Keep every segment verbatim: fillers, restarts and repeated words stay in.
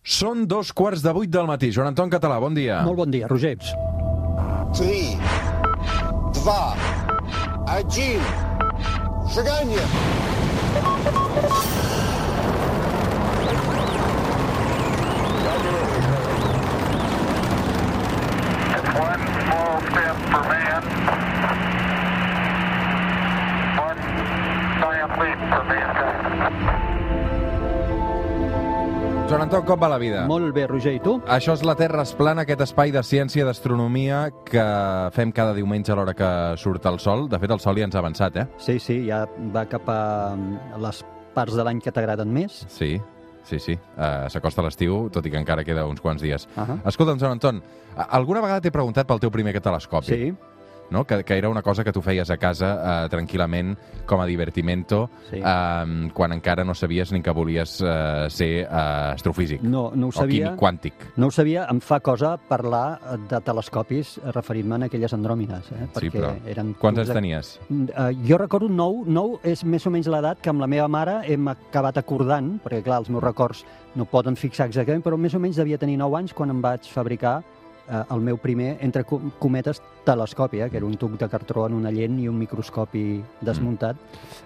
Són dos quarts de vuit del matí. Joan Anton Català, bon dia. Molt bon dia, Roger. Три, два, один. Шагание! It's one small step for man, one giant leap for mankind. Joan Anton, com va la vida? Molt bé, Roger, i tu? Això és la Terra es plana, aquest espai de ciència i d'astronomia que fem cada diumenge a l'hora que surt el sol. De fet, el sol ja ens ha avançat, eh? Sí, sí, ja va cap a les parts de l'any que t'agraden més. Sí, sí, sí. Uh, S'acosta l'estiu, tot i que encara queda uns quants dies. Uh -huh. Escolta'm, Joan Anton, alguna vegada t'he preguntat pel teu primer telescopi? Sí. No? Que, que era una cosa que tu feies a casa eh, tranquil·lament, com a divertimento, Sí. eh, quan encara no sabies ni que volies eh, ser eh, astrofísic. No, no ho o sabia. químic quàntic. No ho sabia, em fa cosa parlar de telescopis referint-me a aquelles andròmines, eh? Sí, Perquè però eren quants tubs anys de- tenies? Uh, jo recordo nou, nou és més o menys l'edat que amb la meva mare hem acabat acordant, perquè clar, els meus records no poden fixar exactament, però més o menys devia tenir nou anys quan em vaig fabricar uh, el meu primer, entre com- cometes, telescopi, eh? Que era un tub de cartró en una lent i un microscopi desmuntat.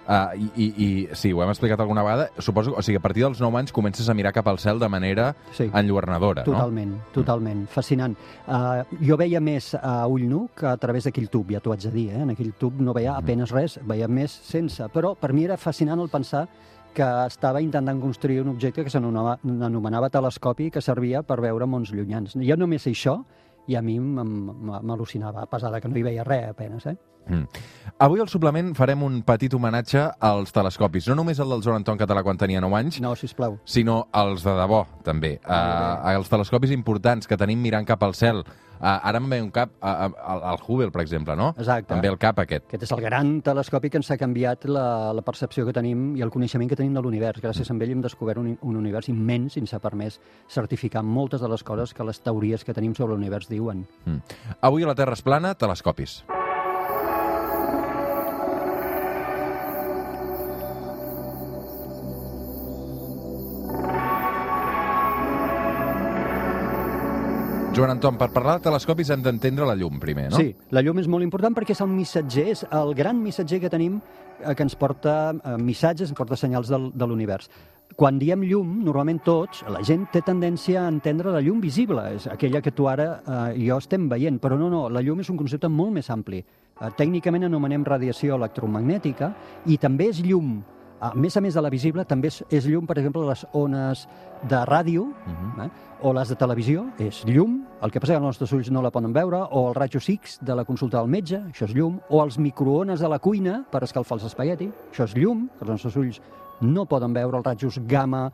Uh, i, i, I sí, ho hem explicat alguna vegada. Suposo, o sigui, a partir dels nou anys comences a mirar cap al cel de manera Sí. enlluernadora, no? Totalment, totalment. Fascinant. Uh, jo veia més a ull nu que a través d'aquell tub, ja t'ho haig de dir. Eh? En aquell tub no veia apenes res, veia més sense. Però per mi era fascinant el pensar que estava intentant construir un objecte que s'anomenava telescopi, que servia per veure mons llunyans. Jo només sé això, i a mi m'al·lucinava, a pesar de que no hi veia res apenes. Eh? Mm. Avui al suplement farem un petit homenatge als telescopis. No només el del Joan Anton Català quan tenia nou anys, No, sisplau. sinó els de debò, també. Uh, els telescopis importants que tenim mirant cap al cel. Uh, ara em ve un cap, uh, uh, el Hubble, per exemple, no? Exacte. Em ve el cap aquest. Aquest és el gran telescopi que ens ha canviat la, la percepció que tenim i el coneixement que tenim de l'univers. Gràcies a ell hem descobert un, un univers immens i ens ha permès certificar moltes de les coses que les teories que tenim sobre l'univers diuen. Mm. Avui a la Terra es plana, telescopis. Joan Anton, per parlar de telescopis hem d'entendre la llum primer, no? Sí, la llum és molt important perquè és el missatger, és el gran missatger que tenim eh, que ens porta eh, missatges, ens porta senyals del, de l'univers. Quan diem llum, normalment tots, la gent té tendència a entendre la llum visible, és aquella que tu ara eh, i jo estem veient, però no, no, la llum és un concepte molt més ampli. Eh, tècnicament anomenem radiació electromagnètica i també és llum. A més a més de la visible, també és, és llum, per exemple, les ones de ràdio, Uh-huh. eh? o les de televisió, és llum, el que passa que els nostres ulls no la poden veure, o el rajos X de la consulta del metge, això és llum, o els microones de la cuina per escalfar els espagueti, això és llum, que els nostres ulls no poden veure, els rajos gamma,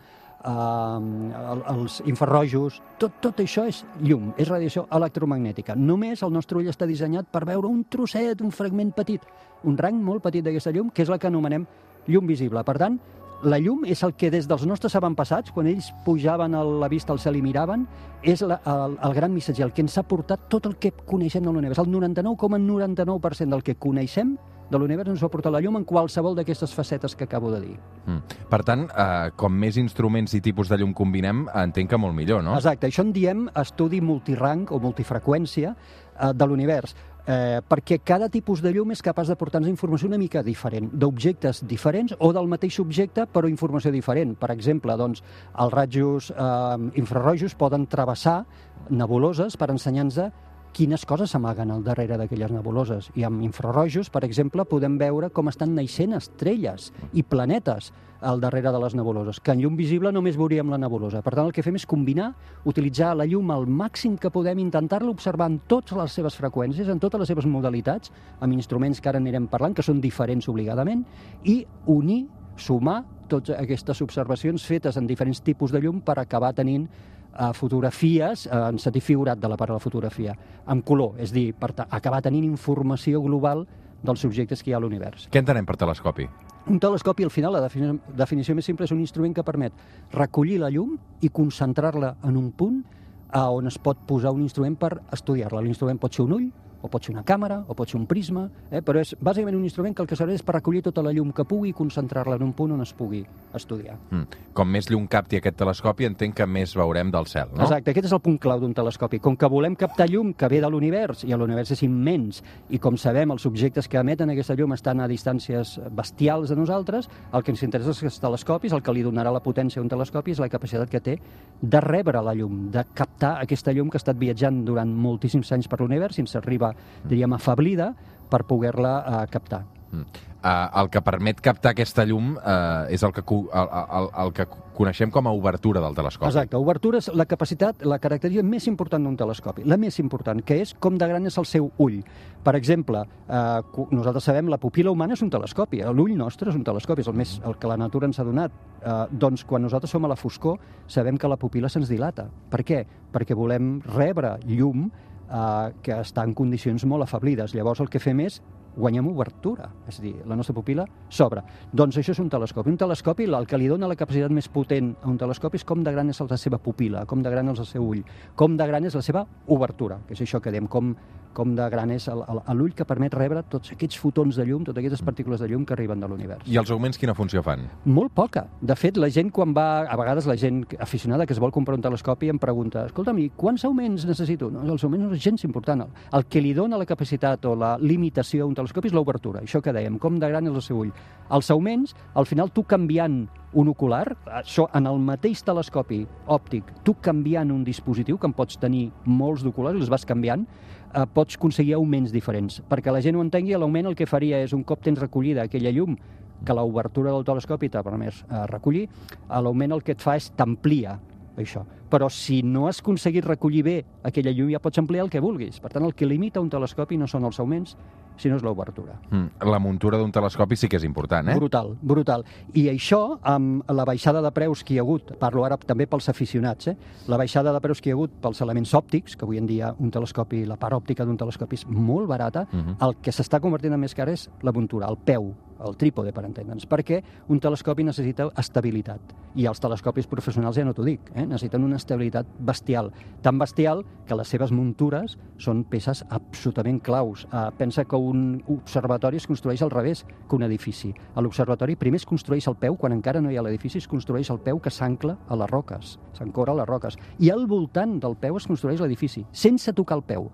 eh, els infrarrojos, tot, tot això és llum, és radiació electromagnètica. Només el nostre ull està dissenyat per veure un trosset, un fragment petit, un rang molt petit d'aquesta llum, que és la que anomenem llum visible. Per tant, la llum és el que des dels nostres avantpassats, quan ells pujaven a la vista al cel i miraven, és la, el, el gran missatger, el que ens ha portat tot el que coneixem de l'univers. El noranta-nou coma noranta-nou per cent del que coneixem de l'univers ens ho ha portat la llum en qualsevol d'aquestes facetes que acabo de dir. Mm. Per tant, eh, com més instruments i tipus de llum combinem, entenc que molt millor, no? Exacte, això en diem estudi multirang o multifreqüència eh, de l'univers. Eh, perquè cada tipus de llum és capaç de portar-nos informació una mica diferent, d'objectes diferents o del mateix objecte però informació diferent. Per exemple, doncs, els rajos eh, infrarrojos poden travessar nebuloses per ensenyar-nos quines coses s'amaguen al darrere d'aquelles nebuloses. I amb infrarrojos, per exemple, podem veure com estan naixent estrelles i planetes al darrere de les nebuloses, que en llum visible només veuríem la nebulosa. Per tant, el que fem és combinar, utilitzar la llum al màxim que podem, intentar-la observar en totes les seves freqüències, en totes les seves modalitats, amb instruments que ara anirem parlant, que són diferents obligadament, i unir, sumar totes aquestes observacions fetes en diferents tipus de llum per acabar tenint a fotografies, en sentit figurat de la part de la fotografia, en color, és a dir, per acabar tenint informació global dels objectes que hi ha a l'univers. Què entenem per telescopi? Un telescopi, al final, la defini definició més simple és un instrument que permet recollir la llum i concentrar-la en un punt a on es pot posar un instrument per estudiar-la. L'instrument pot ser un ull, o pot ser una càmera, o pot ser un prisma, eh? Però és bàsicament un instrument que el que serveix és per recollir tota la llum que pugui i concentrar-la en un punt on es pugui estudiar. Mm. Com més llum capti aquest telescopi, entenc que més veurem del cel, no? Exacte, aquest és el punt clau d'un telescopi. Com que volem captar llum que ve de l'univers, i l'univers és immens, i com sabem, els objectes que emeten aquesta llum estan a distàncies bestials de nosaltres, el que ens interessa és els telescopis, el que li donarà la potència a un telescopi és la capacitat que té de rebre la llum, de captar aquesta llum que ha estat viatjant durant moltíssims anys per l'univers i ens arriba, diríem, afablida per poder-la uh, captar. Mm. Uh, el que permet captar aquesta llum uh, és el que, el, el, el que coneixem com a obertura del telescopi. Exacte, obertura és la capacitat, la característica més important d'un telescopi, la més important, que és com de gran és el seu ull. Per exemple, eh, nosaltres sabem la pupil·la humana és un telescopi, l'ull nostre és un telescopi, és el, més, el que la natura ens ha donat. Eh, doncs quan nosaltres som a la foscor sabem que la pupil·la se'ns dilata. Per què? Perquè volem rebre llum eh, que està en condicions molt afablides. Llavors el que fem és guanyem obertura, és a dir, la nostra pupil·la s'obre. Doncs això és un telescopi. Un telescopi, el que li dona la capacitat més potent a un telescopi és com de gran és la seva pupil·la, com de gran és el seu ull, com de gran és la seva obertura, que és això que diem, com, com de gran és l'ull que permet rebre tots aquests fotons de llum, totes aquestes partícules de llum que arriben de l'univers. I els augments quina funció fan? Molt poca. De fet, la gent quan va, a vegades la gent aficionada que es vol comprar un telescopi em pregunta, escolta'm, i quants augments necessito? No, els augments no és gens important. El que li dona la capacitat o la limitació a un telescopi és l'obertura, això que dèiem, com de gran és el seu ull. Els augments, al final, tu canviant un ocular, això en el mateix telescopi òptic, tu canviant un dispositiu, que en pots tenir molts d'oculars i els vas canviant, eh, pots aconseguir augments diferents. Perquè la gent ho entengui, l'augment el que faria és un cop tens recollida aquella llum que l'obertura del telescopi t'ha permès eh, recollir, l'augment el que et fa és t'amplia això. Però si no has aconseguit recollir bé aquella llum, ja pots ampliar el que vulguis. Per tant, el que limita un telescopi no són els augments, sinó és l'obertura. Mm. La muntura d'un telescopi sí que és important, eh? Brutal, brutal. I això, amb la baixada de preus que hi ha hagut, parlo ara també pels aficionats, eh? La baixada de preus que hi ha hagut pels elements òptics, que avui en dia un telescopi, la part òptica d'un telescopi és molt barata, uh-huh. El que s'està convertint en més car és la muntura, el peu, el trípode, per entendre'ns, perquè un telescopi necessita estabilitat. I els telescopis professionals ja no t'ho dic, eh? Necessiten una estabilitat bestial. Tan bestial que les seves muntures són peces absolutament claus. Uh, pensa que un observatori es construeix al revés que un edifici. A l'observatori primer es construeix el peu, quan encara no hi ha l'edifici, es construeix el peu que s'ancla a les roques, s'ancora a les roques. I al voltant del peu es construeix l'edifici, sense tocar el peu.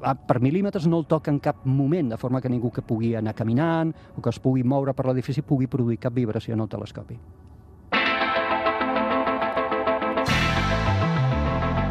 Per mil·límetres no el toca en cap moment, de forma que ningú que pugui anar caminant o que es pugui moure per l'edifici pugui produir cap vibració en el telescopi.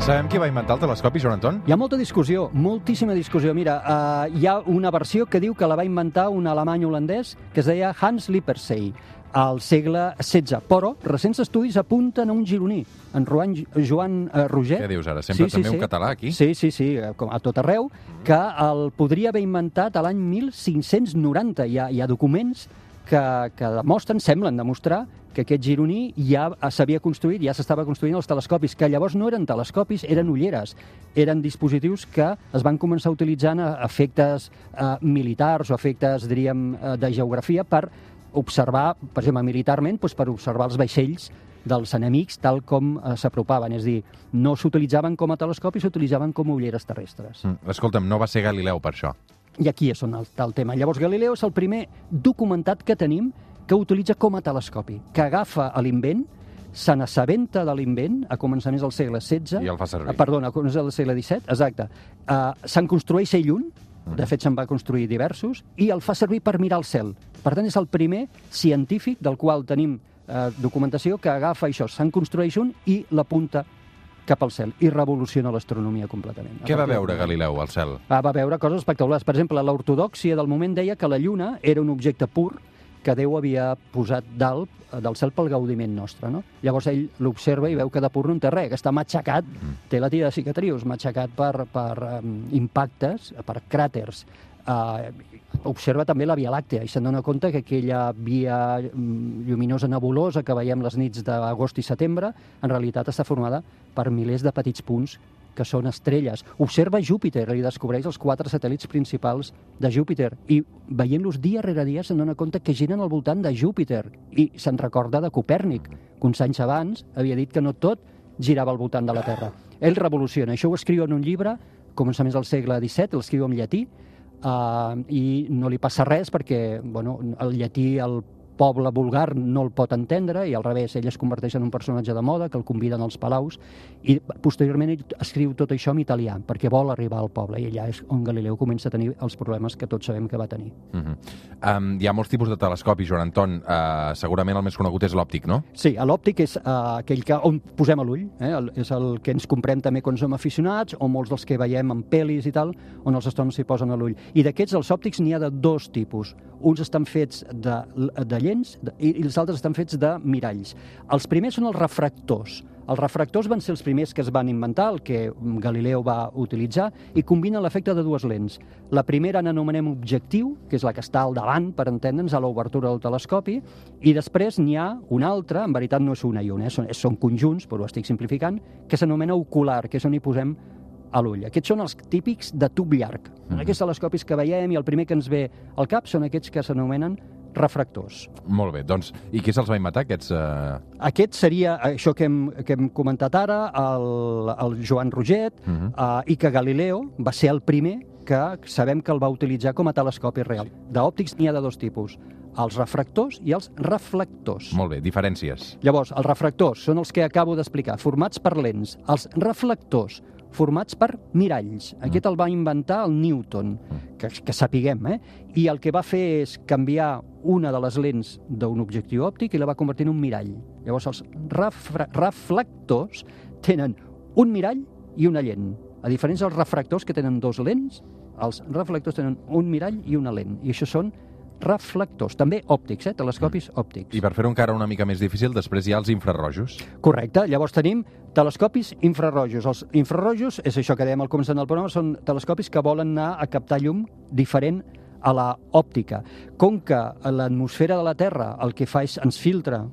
Sabem qui va inventar el telescopi, Joan Anton? Hi ha molta discussió, moltíssima discussió. Mira, uh, hi ha una versió que diu que la va inventar un alemany holandès que es deia Hans Lippershey al segle setze, però recents estudis apunten a un gironí, en Joan, Joan uh, Roger. Què dius ara? Sempre sí, també sí, un sí. català aquí? Sí, sí, sí, com a tot arreu, que el podria haver inventat a l'any mil cinc-cents noranta. Hi ha, hi ha documents que, que demostren, semblen demostrar, que aquest gironí ja s'havia construït, ja s'estava construint els telescopis, que llavors no eren telescopis, eren ulleres. Eren dispositius que es van començar a utilitzar a efectes eh, militars o efectes, diríem, eh, de geografia per observar, per exemple, militarment, doncs per observar els vaixells dels enemics tal com eh, s'apropaven. És a dir, no s'utilitzaven com a telescopis, s'utilitzaven com a ulleres terrestres. Mm, escolta'm, no va ser Galileu per això. I aquí és on està el tema. Llavors, Galileu és el primer documentat que tenim que utilitza com a telescopi, que agafa l'invent, se n'assabenta de l'invent a començaments del segle setze... I el fa servir. Eh, perdona, a començaments del segle disset, exacte. Uh, se'n construeix ell un, de fet se'n va construir diversos, i el fa servir per mirar el cel. Per tant, és el primer científic del qual tenim eh, documentació que agafa això, se'n construeix un i l'apunta cap al cel, i revoluciona l'astronomia completament. Què va veure Galileu al cel? Va, va veure coses espectaculars. Per exemple, l'ortodòxia del moment deia que la Lluna era un objecte pur que Déu havia posat dalt del cel pel gaudiment nostre, no? Llavors ell l'observa i veu que de pur no en té res, que està matxacat, mm. té la tira de cicatrius, matxacat per, per um, impactes, per cràters. Uh, observa també la Via Làctea i se'n dona compte que aquella via um, lluminosa nebulosa que veiem les nits d'agost i setembre, en realitat està formada per milers de petits punts que són estrelles. Observa Júpiter i descobreix els quatre satèl·lits principals de Júpiter i veient-los dia rere dia se'n dona compte que giren al voltant de Júpiter i se'n recorda de Copèrnic, que uns anys abans havia dit que no tot girava al voltant de la Terra. Ell revoluciona, això ho escriu en un llibre començaments del segle disset, l'escriu en llatí, uh, i no li passa res perquè bueno, el llatí, el poble vulgar no el pot entendre i al revés, ell es converteix en un personatge de moda que el conviden als palaus i posteriorment ell escriu tot això en italià perquè vol arribar al poble i allà és on Galileu comença a tenir els problemes que tots sabem que va tenir. Uh-huh. um, hi ha molts tipus de telescopis, Joan Anton. Uh, segurament el més conegut és l'òptic, no? Sí, l'òptic és uh, aquell que, on posem l'ull, eh? el, és el que ens comprem també quan som aficionats o molts dels que veiem en pel·lis i tal, on els astrònoms s'hi posen a l'ull. I d'aquests, els òptics, n'hi ha de dos tipus. Uns estan fets de, de lents i els altres estan fets de miralls. Els primers són els refractors. Els refractors van ser els primers que es van inventar, el que Galileu va utilitzar, i combinen l'efecte de dues lents. La primera n'anomenem objectiu, que és la que està al davant, per entendre'ns, a l'obertura del telescopi, i després n'hi ha una altra, en veritat no és una i una, eh? són, són conjunts, però ho estic simplificant, que s'anomena ocular, que és on hi posem a l'ull. Aquests són els típics de tub llarg. Mm. Aquests telescopis que veiem i el primer que ens ve al cap són aquests que s'anomenen refractors. Molt bé, doncs, i qui se'ls va inventar, aquests? Uh... Aquest seria això que hem, que hem comentat ara, el, el Joan Roget, uh -huh. uh, i que Galileo va ser el primer que sabem que el va utilitzar com a telescopi real. D'òptics n'hi ha de dos tipus, els refractors i els reflectors. Molt bé, diferències. Llavors, els refractors són els que acabo d'explicar, formats per lents. Els reflectors, formats per miralls. Aquest el va inventar el Newton, que, que sapiguem, eh? I el que va fer és canviar una de les lents d'un objectiu òptic i la va convertir en un mirall. Llavors, els refra- reflectors tenen un mirall i una lent. A diferència dels refractors, que tenen dos lents, els reflectors tenen un mirall i una lent. I això són reflectors, també òptics, eh? telescopis òptics. I per fer-ho encara una mica més difícil, després hi ha els infrarrojos. Correcte. Llavors tenim telescopis infrarrojos. Els infrarrojos, és això que dèiem al començament del programa, són telescopis que volen anar a captar llum diferent a la òptica. Com que l'atmosfera de la Terra el que fa és ens filtra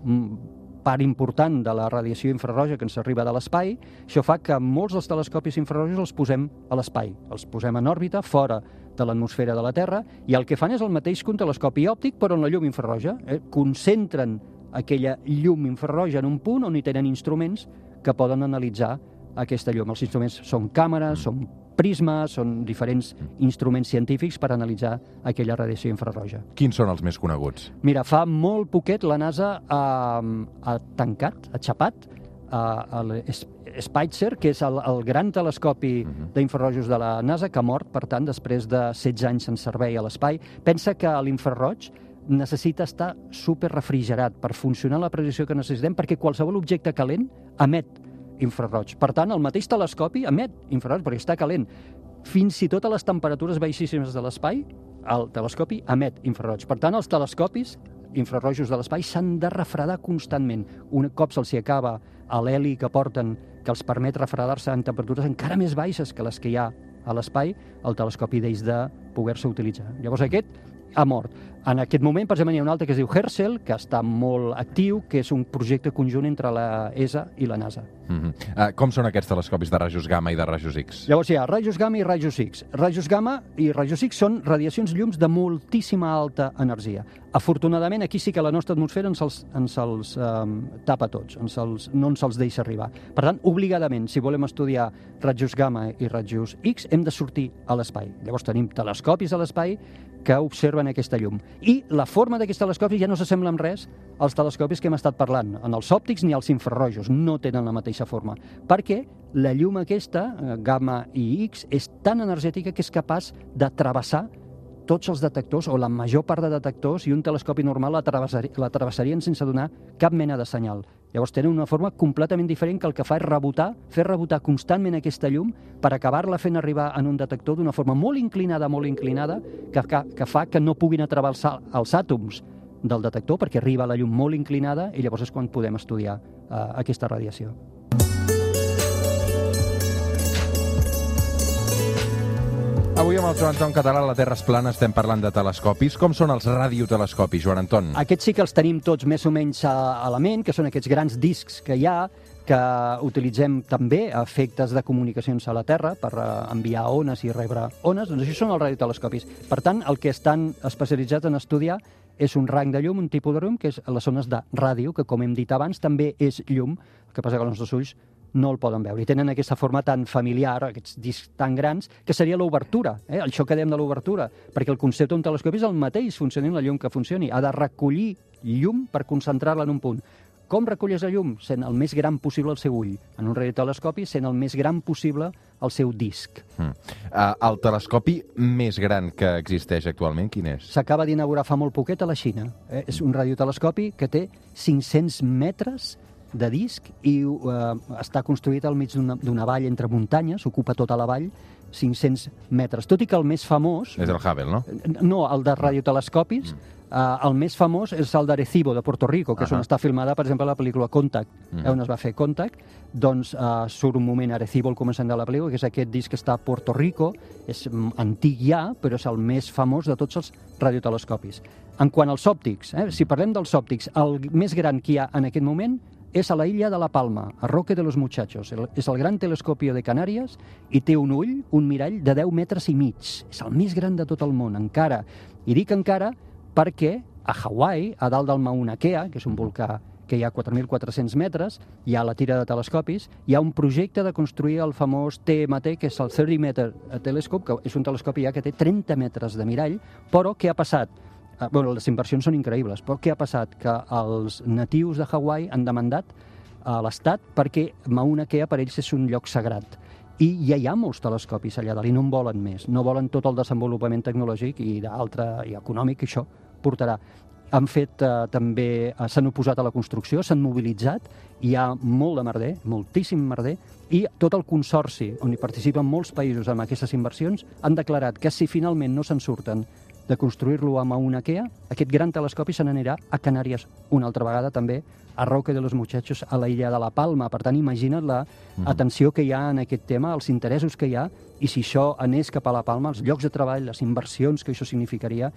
part important de la radiació infrarroja que ens arriba de l'espai, això fa que molts dels telescopis infrarrojos els posem a l'espai. Els posem en òrbita, fora de l'atmosfera de la Terra, i el que fan és el mateix que un telescopi òptic, però en la llum infrarroja. Eh? Concentren aquella llum infrarroja en un punt on hi tenen instruments que poden analitzar aquesta llum. Els instruments són càmeres, són prismes, són diferents instruments científics per analitzar aquella radiació infrarroja. Quins són els més coneguts? Mira, fa molt poquet la NASA ha, ha tancat, ha xapat uh, el Spitzer, que és el, el gran telescopi uh-huh. d'infrarrojos de la NASA, que ha mort, per tant, després de setze anys en servei a l'espai. Pensa que l'infraroig necessita estar super refrigerat per funcionar a la precisió que necessitem, perquè qualsevol objecte calent emet infraroig. Per tant, el mateix telescopi emet infraroig perquè està calent. Fins i tot a les temperatures baixíssimes de l'espai, el telescopi emet infraroig. Per tant, els telescopis infrarrojos de l'espai s'han de refredar constantment. Un cop se'ls acaba l'heli que porten, que els permet refredar-se en temperatures encara més baixes que les que hi ha a l'espai, el telescopi deix de poder-se utilitzar. Llavors aquest ha mort. En aquest moment, per exemple, hi ha un altre que es diu Herschel, que està molt actiu, que és un projecte conjunt entre la E S A i la NASA. Mm-hmm. uh, com són aquests telescopis de rajos gamma i de rajos X? Llavors hi ha rajos gamma i rajos X. Rajos gamma i rajos X són radiacions llums de moltíssima alta energia. Afortunadament, aquí sí que la nostra atmosfera ens els, ens els um, tapa tots, ens els, no ens els deixa arribar. Per tant, obligadament, si volem estudiar rajos gamma i rajos X, hem de sortir a l'espai. Llavors tenim telescopis a l'espai que observen aquesta llum. I la forma d'aquests telescopis ja no s'assembla en res als telescopis que hem estat parlant. En els òptics ni els infrarrojos no tenen la mateixa forma, perquè la llum aquesta, gamma i X, és tan energètica que és capaç de travessar tots els detectors, o la major part de detectors, i un telescopi normal la, travessari, la travessarien sense donar cap mena de senyal. Llavors tenen una forma completament diferent que el que fa és rebotar, fer rebotar constantment aquesta llum per acabar-la fent arribar en un detector d'una forma molt inclinada, molt inclinada, que, que, que fa que no puguin atravessar els àtoms del detector, perquè arriba la llum molt inclinada i llavors és quan podem estudiar uh, aquesta radiació. Avui amb el Joan Anton Català, la Terra és plana, estem parlant de telescopis. Com són els radiotelescopis, Joan Anton? Aquests sí que els tenim tots més o menys a, a la ment, que són aquests grans discs que hi ha, que utilitzem també a efectes de comunicacions a la Terra per enviar ones i rebre ones. Doncs això són els radiotelescopis. Per tant, el que estan especialitzats en estudiar és un rang de llum, un tipus de llum, que és les ones de ràdio, que com hem dit abans també és llum, el que passa que els nostres ulls no el poden veure. I tenen aquesta forma tan familiar, aquests discs tan grans, que seria l'obertura, eh? Això que dèiem de l'obertura, perquè el concepte d'un telescopi és el mateix, funcioni la llum que funcioni. Ha de recollir llum per concentrar-la en un punt. Com recolles la llum? Sent el més gran possible el seu ull. En un radiotelescopi, sent el més gran possible el seu disc. Mm. Uh, el telescopi més gran que existeix actualment, quin és? S'acaba d'inaugurar fa molt poquet a la Xina. Eh? És un radiotelescopi que té cinc-cents metres de disc i eh, està construït al mig d'una vall entre muntanyes, ocupa tota la vall, cinc-cents metres. Tot i que el més famós... És el Hubble, no? No, el de radiotelescopis, mm. eh, el més famós és el d'Arecibo, de Puerto Rico, que uh -huh. és on està filmada, per exemple, la pel·lícula Contact, mm. eh, on es va fer Contact. Doncs eh, surt un moment a Arecibo al començament de la pel·lícula, que és aquest disc que està a Puerto Rico, és antic ja, però és el més famós de tots els radiotelescopis. En quant als òptics, eh, si parlem dels òptics, el més gran que hi ha en aquest moment és a la illa de la Palma, a Roque de los Muchachos. El, és el gran telescopi de Canàries i té un ull, un mirall de deu metres i mig. És el més gran de tot el món, encara. I dic encara perquè a Hawaii, a dalt del Mauna Kea, que és un volcà que hi ha quatre mil quatre-cents metres, hi ha la tira de telescopis, hi ha un projecte de construir el famós T M T, que és el thirty meter Telescope, que és un telescopi ja que té trenta metres de mirall, però què ha passat? Bueno, les inversions són increïbles, però què ha passat? Que els natius de Hawaii han demandat a l'Estat perquè Mauna Kea per ells és un lloc sagrat. I ja hi ha molts telescopis allà dalt i no en volen més. No volen tot el desenvolupament tecnològic i d'altre i econòmic que això portarà. Han fet eh, també, eh, s'han oposat a la construcció, s'han mobilitzat, hi ha molt de merder, moltíssim merder, i tot el consorci on hi participen molts països amb aquestes inversions han declarat que si finalment no se'n surten de construir-lo a Mauna Kea, aquest gran telescopi se n'anirà a Canàries una altra vegada també, a Roque de los Muchachos, a la illa de la Palma. Per tant, imagina't la atenció que hi ha en aquest tema, els interessos que hi ha, i si això anés cap a la Palma, els llocs de treball, les inversions que això significaria,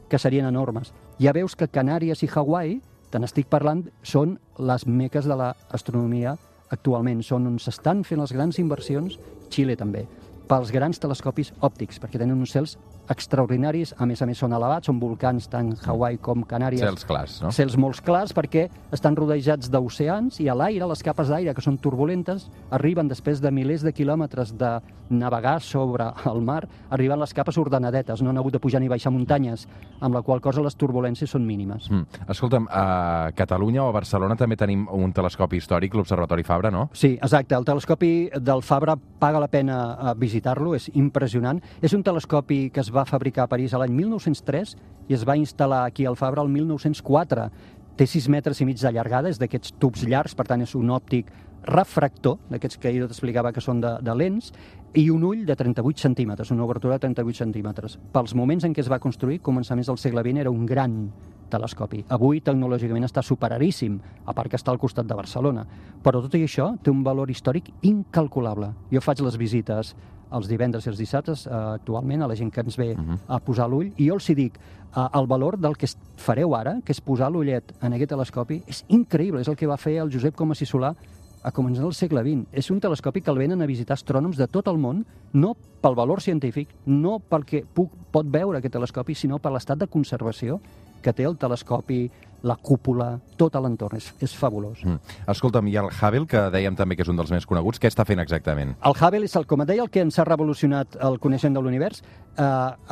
que serien enormes. Ja veus que Canàries i Hawaii, te n'estic parlant, són les meques de l'astronomia actualment, són on s'estan fent les grans inversions, Xile també, pels grans telescopis òptics, perquè tenen uns cels extraordinaris, a més a més són elevats, són volcans tant Hawaii com Canàries. Cels clars, no? Cels molt clars perquè estan rodejats d'oceans i a l'aire, les capes d'aire que són turbulentes, arriben després de milers de quilòmetres de navegar sobre el mar, arriben les capes ordenadetes, no han hagut de pujar ni baixar muntanyes, amb la qual cosa les turbulències són mínimes. Mm. Escolta'm, a Catalunya o a Barcelona també tenim un telescopi històric, l'Observatori Fabra, no? Sí, exacte. El telescopi del Fabra paga la pena visitar-lo, és impressionant. És un telescopi que es va fabricar a París l'any mil nou-cents tres i es va instal·lar aquí al Fabra el mil nou-cents quatre. Té sis metres i mig de llargada, és d'aquests tubs llargs, per tant és un òptic refractor, d'aquests que jo t'explicava que són de, de lents, i un ull de trenta-vuit centímetres, una obertura de trenta-vuit centímetres. Pels moments en què es va construir, començaments del segle vint, era un gran telescopi. Avui, tecnològicament, està superadíssim, a part que està al costat de Barcelona. Però tot i això té un valor històric incalculable. Jo faig les visites els divendres i els dissabtes, eh, actualment, a la gent que ens ve uh-huh. a posar l'ull, i jo els hi dic, eh, el valor del que fareu ara, que és posar l'ullet en aquest telescopi, és increïble, és el que va fer el Josep Comas i Solà a començar del segle vint. És un telescopi que el venen a visitar astrònoms de tot el món, no pel valor científic, no pel que puc, pot veure aquest telescopi, sinó per l'estat de conservació que té el telescopi, la cúpula, tot a l'entorn. És, és fabulós. Mm. Escolta'm, i el Hubble, que dèiem també que és un dels més coneguts, què està fent exactament? El Hubble és, el, com et deia, el que ens ha revolucionat el coneixement de l'univers. Eh,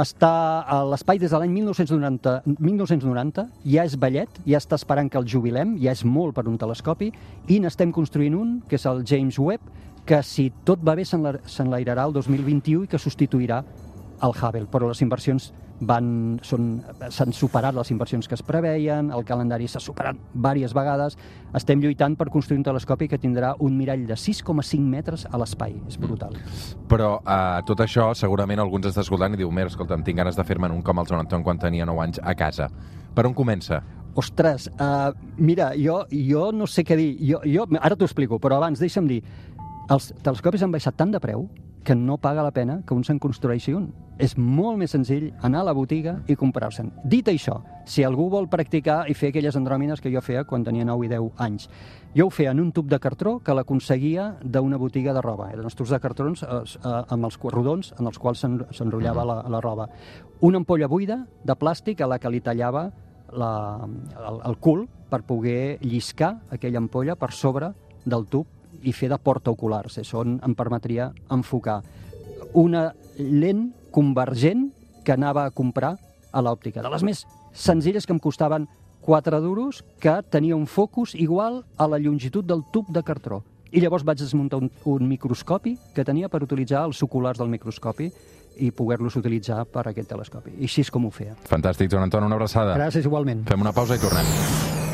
està a l'espai des de l'any mil nou-cents noranta, mil nou-cents noranta, ja és vellet, ja està esperant que el jubilem, ja és molt per un telescopi, i n'estem construint un, que és el James Webb, que si tot va bé s'enlairarà el dos mil vint-i-u i que substituirà el Hubble, però les inversions van, són, s'han superat les inversions que es preveien, el calendari s'ha superat diverses vegades, estem lluitant per construir un telescopi que tindrà un mirall de sis coma cinc metres a l'espai, és brutal. Mm. Però uh, tot això segurament alguns està escoltant i diu, mira, escolta'm, tinc ganes de fer-me'n un com el Joan Anton quan tenia nou anys a casa. Per on comença? Ostres, uh, mira, jo, jo no sé què dir, jo, jo, ara t'ho explico, però abans deixa'm dir, els telescopis han baixat tant de preu que no paga la pena que un se'n construeixi un. És molt més senzill anar a la botiga i comprar-se'n. Dit això, si algú vol practicar i fer aquelles andròmines que jo feia quan tenia nou i deu anys, jo ho feia en un tub de cartró que l'aconseguia d'una botiga de roba. Eren els tubs de cartrons eh, eh, amb els rodons en els quals s'enrotllava la, la roba. Una ampolla buida de plàstic a la que li tallava la, el, el cul per poder lliscar aquella ampolla per sobre del tub i fer de porta oculars. Això em permetria enfocar una lent convergent que anava a comprar a l'òptica. De les més senzilles, que em costaven quatre duros, que tenia un focus igual a la longitud del tub de cartró. I llavors vaig desmuntar un, un microscopi que tenia per utilitzar els oculars del microscopi i poder-los utilitzar per aquest telescopi. I així és com ho feia. Fantàstic, Joan Anton, una abraçada. Gràcies, igualment. Fem una pausa i tornem.